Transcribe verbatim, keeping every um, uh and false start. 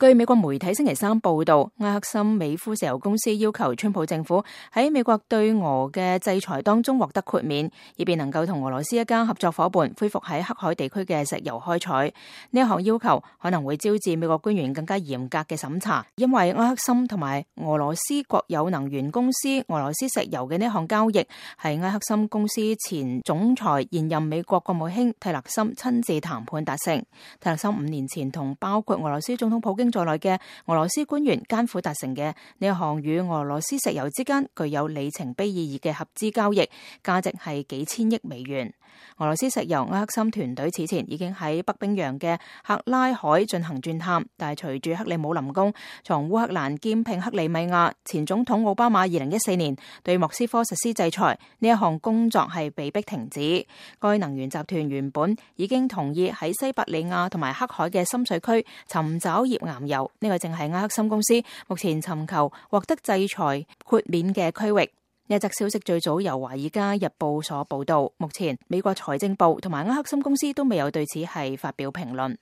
據美國媒體星期三報道，埃克森美孚石油公司要求川普政府喺美國對俄嘅制裁當中獲得豁免，以便能夠同俄羅斯一家合作夥伴恢復喺黑海地區嘅石油開採。呢一項要求可能會招致美國官員更加嚴格嘅審查，因為埃克森同埋俄羅斯國有能源公司俄羅斯石油嘅呢項交易係埃克森公司前總裁現任美國國務卿泰勒森親自談判達成。泰勒森五年前同包括俄羅斯總統普京在內嘅俄羅斯官員艱苦達成嘅呢一項與俄羅斯石油之間具有里程碑意義嘅合資交易，價值係幾千億美元。俄羅斯石油埃克森團隊此前已經喺北冰洋嘅克拉海進行鑽探，但係隨住克里姆林宮從烏克蘭兼併克里米亞，前總統奧巴馬二零一四年對莫斯科實施制裁，呢一項工作係被迫停止。該能源集團原本已經同意喺西伯利亞同埋黑海嘅深水區尋找頁岩油，呢、這個正係埃克森公司目前尋求獲得制裁豁免嘅區域。呢則消息最早由華爾街日報所報道，目前美國財政部同埋埃克森公司都未有對此係發表評論。